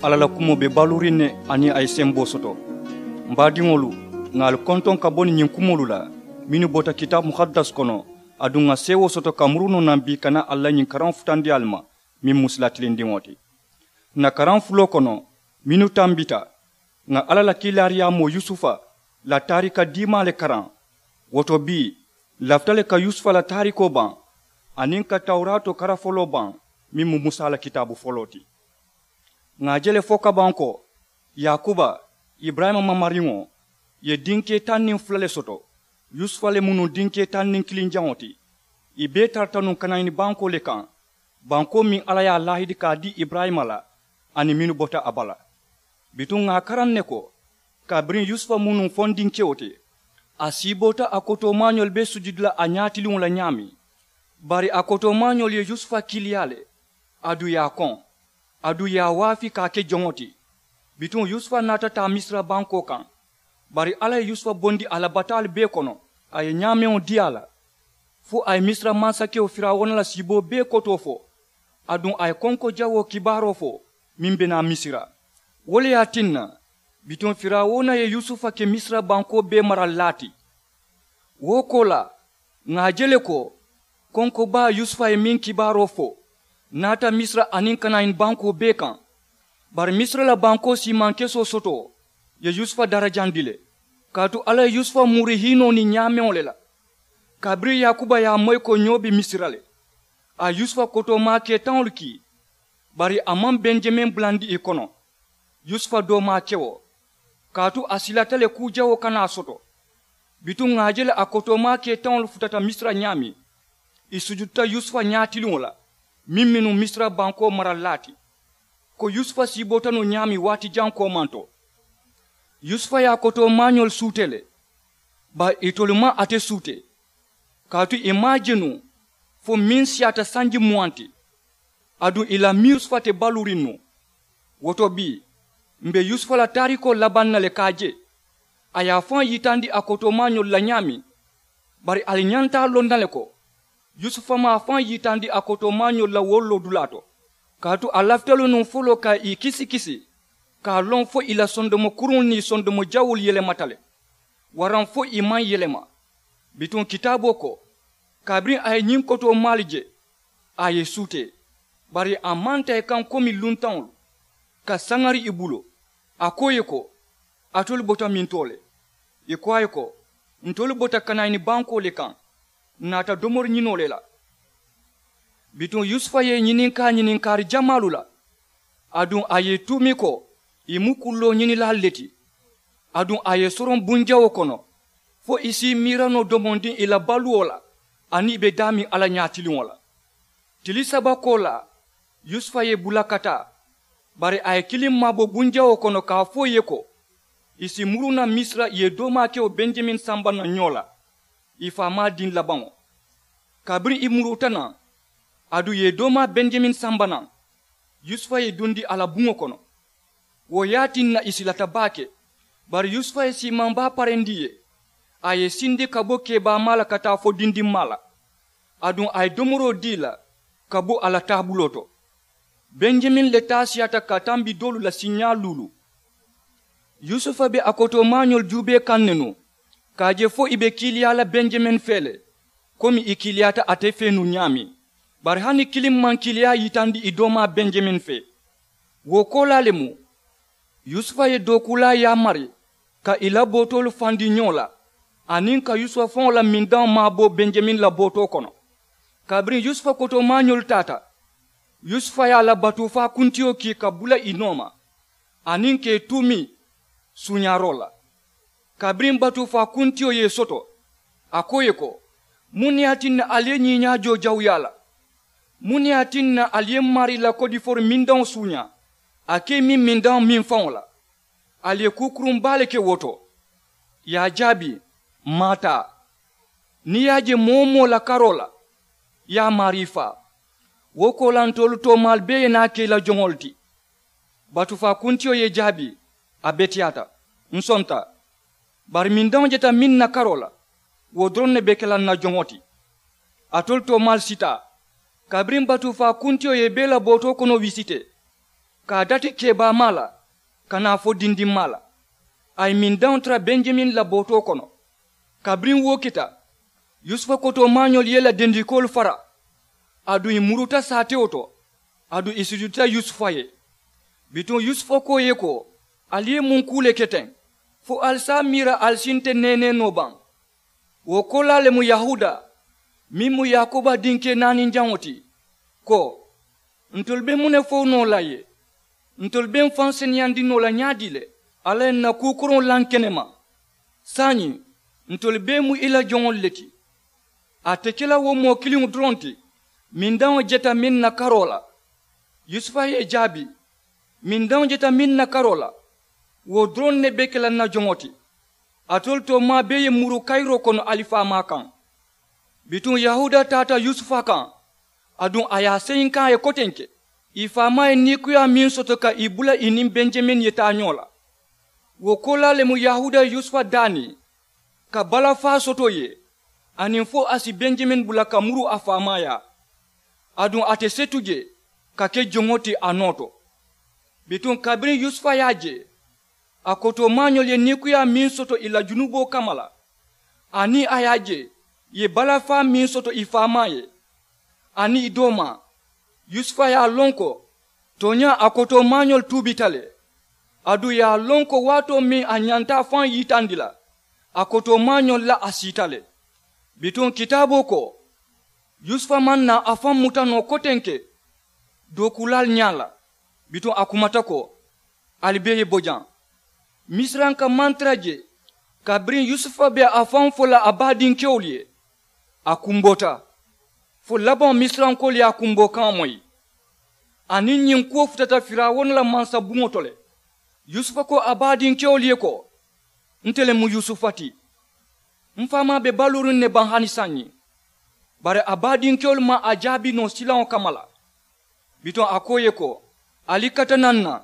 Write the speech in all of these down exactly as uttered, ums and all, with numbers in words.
Alla la kumoo be baluuriŋ ne aniŋ a ye semboo soto. M baadiŋolu, ŋà ali kontoŋ ka bo niŋ ñiŋ kumoolu la mennu bota kitaabu muhaddas kono, aduŋ ŋà seewoo soto ka muru noo naŋ bii ka naa ali la ñiŋ karaŋo futandi ali ma, meŋ mu sila tilindiŋo ti. Ǹ na karaŋ fuloo kono mennu tambita, ŋà alla la kiilaariyaamoo yusufa la taarika diimaa le karaŋ. Wo to bii, ǹ lafita le ka yusufa la taarikoo baŋ aniŋ ka tawuraatoo kara foloo baŋ, meŋ mu musa la kitaabu foloo ti. Ŋà a je le fo kabaŋ ko, yaakuba, iburayima mamariŋo, ye dinkee taŋ niŋ fula le soto. Yusufa le mu nuŋ dinkee taŋ niŋ kiliŋ jaŋo ti. Ì bee tarata nuŋ kanayini bankoo le kaŋ, bankoo meŋ alla ye a laahidi ka a dii iburayima la aniŋ mennu bota a bala. Bituŋ ŋà a karaŋ ne ko, kabiriŋ yusufa mu nuŋ fondinkewo ti, a siiboota a kotoomaañolu be sujudi la a ñaatiliŋo la ñaameŋ. Bari a kotoomaañolu ye yusufa kiiliyaa le, aduŋ ì ye a koŋ, aduŋ ì ye a waafi ka a ke joŋo ti. Bituŋ yusufa naata taa misira bankoo kaŋ. Bari alla ye yusufa bondi a la bataalu bee kono, a ye ñaameŋo dii a la, fo a ye misira mansakewo firawuna la siiboo bee kotoo fo, aduŋ a ye konko jawoo kibaaroo fo meŋ be naa misira. Wo le ye a tinna, bituŋ firawuna ye yusufa ke misira bankoo bee maralilaa ti. Wo koolaa, ŋà a je le ko, konko baa yusufa ye meŋ kibaaroo fo naata misira aniŋ kanayini bankoo bee kaŋ. Bari misira la bankoo siimaŋ kesoo sotoo ye yusufa darajandi le, kaatu alla ye yusufa muuri hiinoo niŋ ñaameŋo le la. Kabiriŋ yaakuba ye a moyi ko ñoo be misira le, a ye yusufa kotoomaa kee taŋolu kii. Bari a maŋ benjamin bulandi ì kono, yusufa doomaa kewo, kaatu a silata le kuu jawoo kana a soto. Bituŋ ŋà a je le a kotoomaa kee taŋolu futata misira ñaameŋ, ì sujudita yusufa ñaatiliŋo la, meŋ mu nuŋ misira bankoo maralilaa ti, ko yusufa siiboota noo ñaameŋ waati jaŋ koomanto. Yusufa ye a kotoomaañolu suutee le, bari itolu maŋ ate suutee, kaatu ì maŋ a je nuŋ fo meŋ siyaata sanji muwaŋ ti. Aduŋ ì la miŋ yusufa te baluuriŋ nuŋ. Wo to bii, m̀ be yusufa la taarikoo labaŋ na le ka a je, a ye a faŋ yitandi a kotoomaañolu la ñaameŋ. Bari ali ñanta a loŋ na le ko, yusufa maŋ a faŋ yitandi a kotoomaañolu la wo loodulaa to, kaatu a lafita le nuŋ foloo ka ì kisi kisi, ka a loŋ fo ì la sondomo kuruŋolu niŋ ì sondomo jawuulu yelemata le, waraŋ fo ì maŋ yelema. Bituŋ kitaaboo ko, kabiriŋ a ye ñiŋ kotoomaalu je, a ye ì suutee, bari a maŋ taa ì kaŋ komi luntaŋolu, ka saŋari ì bulu. A ko ì ye ko, alitolu bota mintoo le? Ì ko a ye ko, ntolu bota kanayini bankoo le kaŋ, ǹ naata domori ñinoo le la. Bituŋ yusufa ye ì ñininkaa ñininkaari jamaalu la, aduŋ a ye ì tuumi ko ì mu kulloo ñinilaalu le ti. Aduŋ a ye ì soroŋ bunjawoo kono, fo ì si ì miira noo domondiŋ ì la baluwo la, aniŋ ì be daameŋ alla ñaatiliŋo la. Tili saba koolaa, yusufa ye ì bula ka taa, bari a ye kiliŋ maabo bunjawoo kono ka a fo ì ye ko, ì si muru naŋ misira ì ye doomaa ke wo benjamin samba naŋ ñoo la, ì faamaa diŋ labaŋo. Kabiriŋ ì muruuta naŋ, aduŋ ì ye doomaa benjamin samba naŋ, yusufa ye ì dundi a la buŋo kono. Wo ye a tinna ì silata baake. Bari yusufa ye siimaŋ baa parendi ì ye, a ye ì sindi ka bo keebaamaa la ka taa fo dindimmaa la. Aduŋ a ye domoroo dii ì la ka bo a la taabuloo to. Benjamin le taa siyaata ka tambi doolu la siiñaa luulu. Yusufa be a kotoomaañolu juubee kaŋ ne nuŋ, ka a je fo ì be kiiliyaa la benjamin fee le, komi ì kiiliyaata ate fee nuŋ ñaameŋ. Bari hani kiliŋ maŋ kiiliyaa yitandi ì doomaa benjamin fee. Wo koolaa le mu, yusufa ye dookuulaa yaamari ka ì la bootoolu fandi ñoo la, aniŋ ka yusufa faŋo la mindaŋo maabo benjamin la bootoo kono. Kabiriŋ yusufa kotoomaañolu taata, yusufa ye a la batuufaa kuntiyo kii ka bula ì nooma, aniŋ ka ì tuumi suuñaaroo la. Kabiriŋ batuufaa kuntiyo ye ì soto, a ko ì ye ko, muŋ ne ye a tinna ali ye ñiiñaa joo jawuyaa la? Muŋ ne ye a tinna ali ye m maarii la kodifori mindaŋo suuñaa, a ke ì miŋ mindaŋo miŋ faŋo la? Ali ye kuu kuruŋ baa le ke wo to. Ì ye a jaabi, m maŋ a taa. Niŋ ì ye a je moo-wo-moo la karoo la, ì ye a maarii faa. Wo koolaa ntolu toomaalu bee ye naa ke ì la joŋolu ti. Batuufaa kuntiyo ye ì jaabi, a beteyaata, ǹ sonta. Bari mindaŋo jeta meŋ na karoo la, wo doroŋ ne be ke la ǹ na joŋo ti. Alitolu toomaalu sitaa. Kabiriŋ batuufaa kuntiyo ye ì bee la bootoo kono wisitee, ka a dati keebaamaa la ka naa fo dindimmaa la. A ye mindaŋo tara benjamin la bootoo kono. Kabiriŋ wo kita, yusufa kotoomaañolu ye i la dendikoolu fara, aduŋ ì muruta saatewo to, aduŋ ì sujudita yusufa ye. Bituŋ yusufa ko ì ye ko, ali ye muŋ kuu le ke teŋ fo ali si a miira ali si nte neenee noo baŋ? Wo koolaa le mu yahuuda, meŋ mu yaakuba dinkee naaninjaŋo ti, ko, ntolu be muŋ ne fo noo la ye? Ntolu be m̀ faŋ seneyandi noo la ñaadii le? Alla ye ǹ na kuu koroŋo laŋ ke ne ma. Saayiŋ, ntolu bee mu i la joŋolu le ti. A te ke la wo moo kiliŋo doroŋ ti, mindaŋo jeta meŋ na karoo la. Yusufa ye ì jaabi, mindaŋo jeta meŋ na karoo la, wo doroŋ ne be ke la ǹ na joŋo ti. Alitolu toomaa bee ye muru kayiroo kono ali faamaa kaŋ. Bituŋ yahuuda taata yusufa kaŋ, aduŋ a ye a seyinkaŋ a ye kotenke. Ì faamaa ye niikuyaa meŋ soto ka ì bula ì niŋ benjamin ye taa ñoo la. Wo koolaa le mu yahuuda ye yusufa daani ka balafaa soto ì ye, aniŋ fo a si benjamin bula ka muru a faamaa yaa. Aduŋ a te setu je ka ke joŋo ti a noo to. Bituŋ kabiriŋ yusufa ye a je, a kotoomaañolu ye niikuyaa meŋ soto ì la junuboo kamma la, aniŋ a ye a je ì ye balafaa meŋ soto ì faamaa ye, aniŋ ì doomaa, yusufa ye a loŋ ko, tooñaa a kotoomaañolu tuubita le. Aduŋ ì ye a loŋ ko waatoo meŋ a ñanta a faŋ yitandi la, a kotoomaañolu la a siita le. Bituŋ kitaaboo ko, yusufa maŋ naa a faŋ muta noo kotenke dookuulaalu ñaa la. Bituŋ a kumata ko, ali bee ye bo jaŋ. Misiranka maŋ tara je kabiriŋ yusufa be a faŋ fo la a baadinkewolu ye. A kumboota fo labaŋo misirankoolu ye a kumboo kaŋo moyi. Aniŋ ñiŋ kuwo futata firawuna la mansa buŋo to le. Yusufa ko a baadinkewolu ye ko, nte le mu yusufa ti. M̀ faamaa be baluuriŋ ne baŋ hani saayiŋ? Bari a baadinkewolu maŋ a jaabi noo silaŋo kamma la. Bituŋ a ko ì ye ko, ali kata naŋ ǹ na.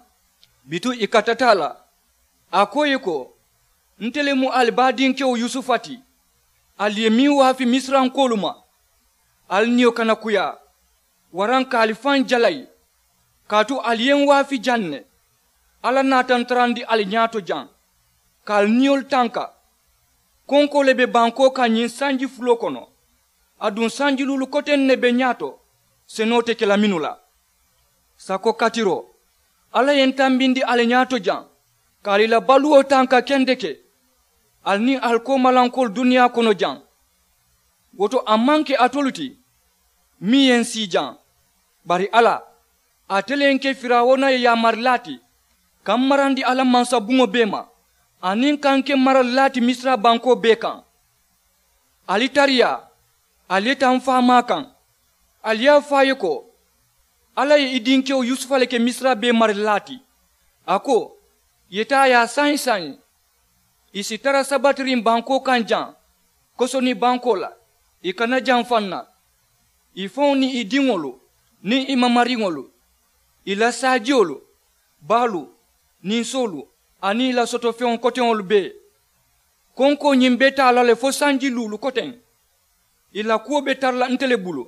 Bituŋ ì katata a la. A ko ì ye ko, nte le mu ali baadinkewo yusufa ti. Ali ye meŋ waafi misirankoolu ma, ali niyo kana kuyaa, waraŋ ka ali faŋ jalayi. Kaatu ali ye ǹ waafi jaŋ ne. Alla naata ǹ tarandi ali ñaato jaŋ, ka ali niyolu tanka. Konkoo le be bankoo kaŋ ñiŋ sanji fuloo kono. Aduŋ sanji luulu koteŋ ne be ñaato senoo te ke la mennu la. Sako katiroo, alla ye ǹ tambindi ali ñaato jaŋ, ka ali la baluwo tanka kendeke. Ali niŋ ali koomalankoolu duniyaa kono jaŋ. Wo to a maŋ ke alitolu ti meŋ ye ǹ sii jaŋ, bari alla, ate le ye ǹ ke firawuna ye yaamarilaa ti, ka m̀ marandi a la mansabuŋo bee ma, aniŋ ka ǹ ke marilaa ti misira bankoo bee kaŋ. Ali tariyaa, ali ye taa m̀ faamaa kaŋ. Ali ye a fo a ye ko, alla ye i dinkewo yusufa le ke misira bee marilaa ti. A ko, ì ye taa ì ye a saayiŋ saayiŋ. Ì si tara sabatiriŋ bankoo kaŋ jaŋ, kosoni bankoo la, ì kana jaŋ faŋ na. Ì faŋo niŋ ì diŋolu, niŋ ì mamariŋolu, ì la saajiyolu, baalu, ninsoolu, aniŋ ì la sotofeŋo koteŋolu bee. Konkoo ñiŋ be taa la le fo sanji luulu koteŋ. Ì la kuwo be tara la nte le bulu.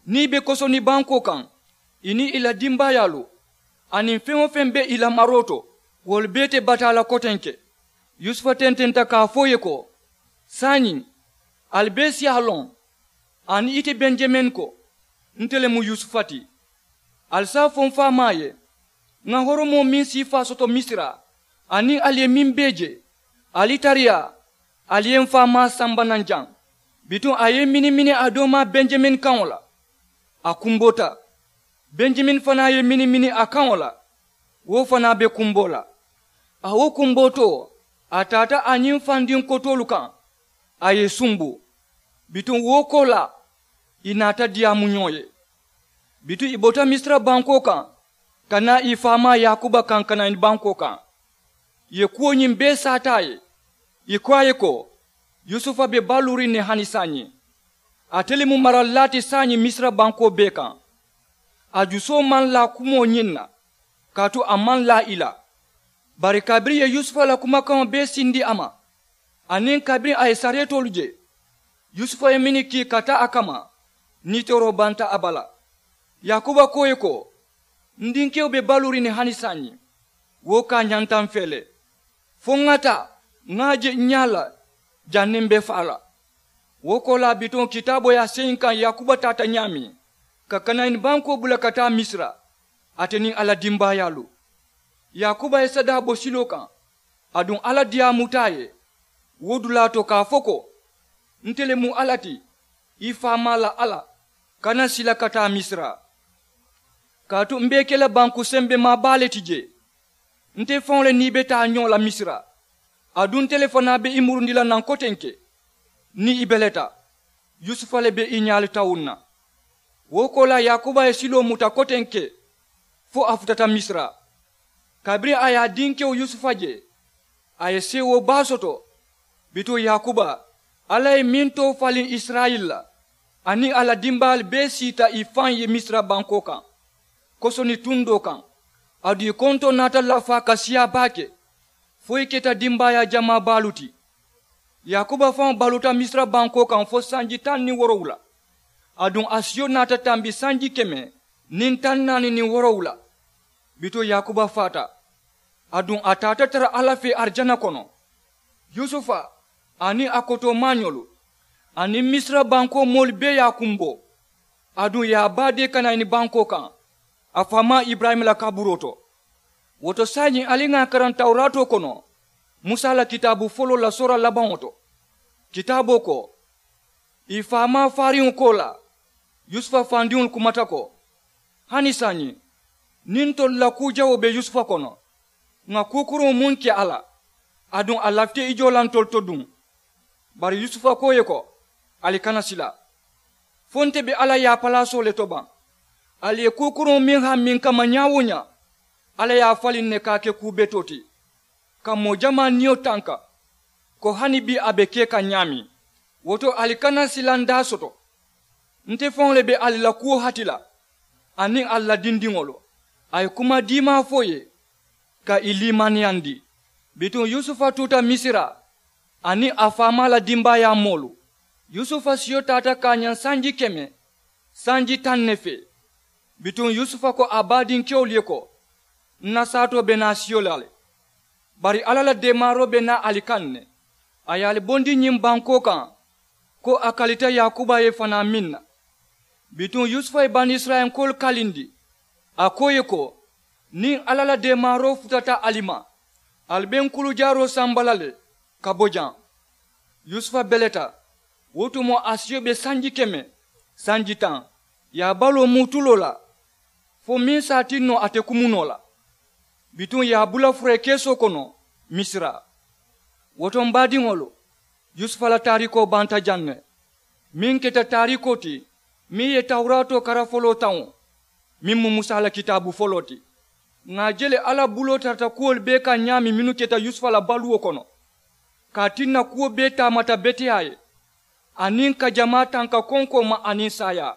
Niŋ ì be kosoni bankoo kaŋ, ì niŋ ì la dimbaayaalu, aniŋ feŋ-wo-feŋ be ì la maroo to, wolu bee te bataa la kotenke. Yusufa tententa ka a fo ì ye ko, saayiŋ, ali bee si a loŋ, aniŋ ite benjamin ko, nte le mu yusufa ti. Ali si a fo m faamaa ye, ŋà horomoo meŋ siifaa soto misira, aniŋ ali ye meŋ bee je, ali tariyaa, ali ye m faamaa samba naŋ jaŋ. Bituŋ a ye i minimini a doomaa benjamin kaŋo la. A kumboota. Benjamin fanaa ye i minimini a kaŋo la. Wo fanaa be kumboo la. A wo kumbootoo, a taata a ñiŋ fandiŋ kotoolu kaŋ, a ye i sumbu. Bituŋ wo koolaa, ì naata diyaamu ñoo ye. Bituŋ ì bota misira bankoo kaŋ, ka naa ì faamaa yaakuba kaŋ ka naa ñiŋ bankoo kaŋ. Ì ye kuwo ñiŋ bee saata a ye. Ì ko a ye ko, yusufa be baluuriŋ ne hani saayiŋ. Ate le mu marilaa ti saayiŋ misira bankoo bee kaŋ. A jusoo maŋ laa kumoo ñiŋ na, kaatu a maŋ laa ì la. Bari kabiriŋ ì ye yusufa la kumakaŋo bee sindi a ma, aniŋ kabiriŋ a ye sareetoolu je, yusufa ye mennu kii ka taa a kamma, niitooroo banta a bala. Yaakuba ko ì ye ko, N dinkewo be baluuriŋ ne hani saayiŋ. Wo ka ñanta m fee le. Fo ŋa taa ŋa a je ǹ ñaa la. Janniŋ m be faa la wo koolaa bituŋ kitaaboo ye a seyi n kaŋ yaakuba taata ñaameŋ ka kanayini bankoo bula ka taa misira, ate niŋ a la dimbaayaalu. Yaakuba ye sadaa bo siloo kaŋ. Aduŋ alla diyaamuta a ye wo dulaa to ka a fo ko, nte le mu alla ti, i faamaa la alla. Kana sila ka taa misira. Kaatu m be i ke la banku sembemaa baa le ti jee. Nte faŋo le niŋ i be taa ñoo la misira. Aduŋ nte le fanaa be i murundi la naŋ kotenke. Niŋ i beleta yusufa le be i ñaalu tawuŋ na. Wo koolaa yaakuba ye siloo muta kotenke fo a futata misira. Kabiriŋ a ye a dinkewo yusufa je, a ye seewoo baa soto. Bituŋ yaakuba, alla ye meŋ too faliŋ isirayila la, aniŋ a la dimbaayaalu bee siita i faŋ ye misira bankoo kaŋ. Kosoni tundoo kaŋ, aduŋ i kontoo naata lafaa ka siyaa baake, fo i keta dimbaayaa jamaa baalu ti. Yaakuba faŋo baluuta misira bankoo kaŋ fo sanji taŋ niŋ woorowula. Aduŋ a siyo naata tambi sanji keme niŋ taŋ naani niŋ woorowula. Bituŋ yaakuba faata. Aduŋ a taata tara alla fee arijana kono. Yusufa, aniŋ a kotoomaañolu, aniŋ misira bankoo moolu bee ye a kumboo. Aduŋ ì ye a baadee kanayini bankoo kaŋ, a faamaa iburayima la kaburoo to. Wo to saayiŋ ali ŋà a karaŋ tawuraatoo kono, musa la kitaabu foloo la soora labaŋo to. Kitaaboo ko, ì faamaa faariŋo koolaa yusufa fandiŋolu kumata ko, hani saayiŋ, niŋ ntolu la kuu jawoo be yusufa kono, ŋà kuu kuruŋo muŋ ke a la, aduŋ a lafita i joo la ntolu to duŋ. Bari yusufa ko ì ye ko, ali kana sila. Fo nte be alla yaapalaasoo le to baŋ. Ali ye kuu kuruŋo meŋ hammiŋ kamma ñaa-wo-ñaa, alla ye a faliŋ ne ka a ke kuu betoo ti, ka moo jamaa niyo tanka, ko hani bii a be ke kaŋ ñaameŋ. Wo to ali kana silandaa soto. Nte faŋo le be ali la kuwo hati la, aniŋ ali la dindiŋolu. A ye kuma diimaa fo ì ye, ka ì liimaniyandi. Bituŋ yusufa tuuta misira, aniŋ a faamaa la dimbaayaa moolu. Yusufa siyo taata ka a ñaŋ sanji keme, sanji taŋ ne fee. Bituŋ yusufa ko a baadinkewolu ye ko, n na saatoo be naa siyo la le. Bari alla la deemaaroo be naa ali kaŋ ne, a ye ali bondi ñiŋ bankoo kaŋ, ko a kalita yaakuba ye fanaa meŋ na. Bituŋ yusufa ye banisirayilankoolu kalindi, a ko ì ye ko, niŋ alla la deemaaroo futata ali ma, ali be n kulujaaroo samba la le, ka bo jaŋ. Yusufa beleta. Wo tumoo a siyo be sanji keme, sanji taŋ, ì ye a baloo muu tuloo la, fo meŋ si a tinno ate kumu noo la. Bituŋ ì ye a bula furee keesoo kono, misira. Wo to m baadiŋolu, yusufa la taariikoo banta jaŋ ne. Meŋ keta taariikoo ti, meŋ ye tawuraatoo kara foloo taŋo, meŋ mu musa la kitaabu foloo ti. Ŋà a je le alla buloo tarata kuwolu bee kaŋ ñaameŋ mennu keta yusufa la baluwo kono, ka a tinna kuwo bee taamata beteyaa ye, aniŋ ka jamaa tanka konkoo ma aniŋ saayaa.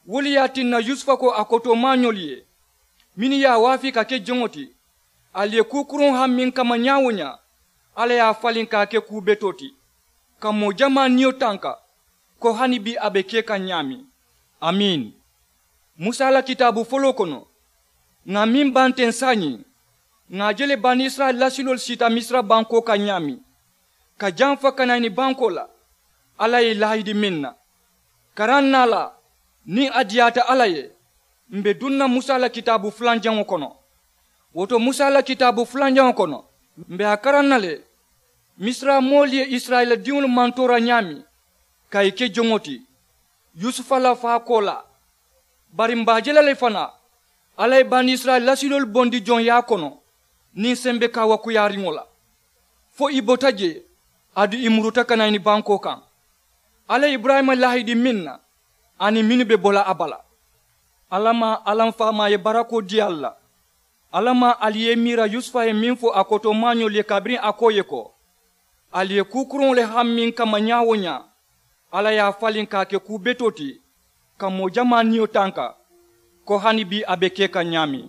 Wo le ye a tinna yusufa ko a kotoomaañolu ye, mennu ye a waafii ka ke joŋo ti, ali ye kuu kuruŋo hammiŋ kamma ñaa-wo-ñaa, alla ye a faliŋ ka a ke kuu betoo ti, ka moo jamaa niyo tanka, ko hani bii a be ke kaŋ ñaameŋ. Amiin. Musa la kitaabu foloo kono, ŋà meŋ baŋ teŋ saayiŋ, ŋà a je le banisirayila lasiloolu siita misira bankoo kaŋ ñaameŋ, ka jamfa kanayini bankoo la, alla ye ì laahidi meŋ na. Karaŋ naa la, niŋ a diyaata alla ye, m̀ be duŋ na musa la kitaabu fulanjaŋo kono. Wo to musa la kitaabu fulanjaŋo kono, m̀ be a karaŋ na le, misira moolu ye isirayila diŋolu mantoora ñaameŋ, ka ì ke joŋo ti, yusufa la faakoolaa. Bari m̀ be a je la le fanaa, alla ye banisirayila lasiloolu bondi joŋyaa kono, niŋ sembe kaawakuyaariŋo la, fo ì bota jee, aduŋ ì muruta kanayini bankoo kaŋ. Alla ye iburayima laahidi meŋ na, aniŋ mennu be bo la a bala. Alla maa, alla m faamaa ye barakoo dii ali la. Alla maa, ali ye i miira yusufa ye meŋ fo a kotoomaañolu ye kabiriŋ a ko ì ye ko, ali ye kuu kuruŋo le hammiŋ kamma ñaa-wo-ñaa, alla ye a faliŋ ka a ke kuu betoo ti, ka moo jamaa niyo tanka, ko hani bii a be ke kaŋ ñaameŋ.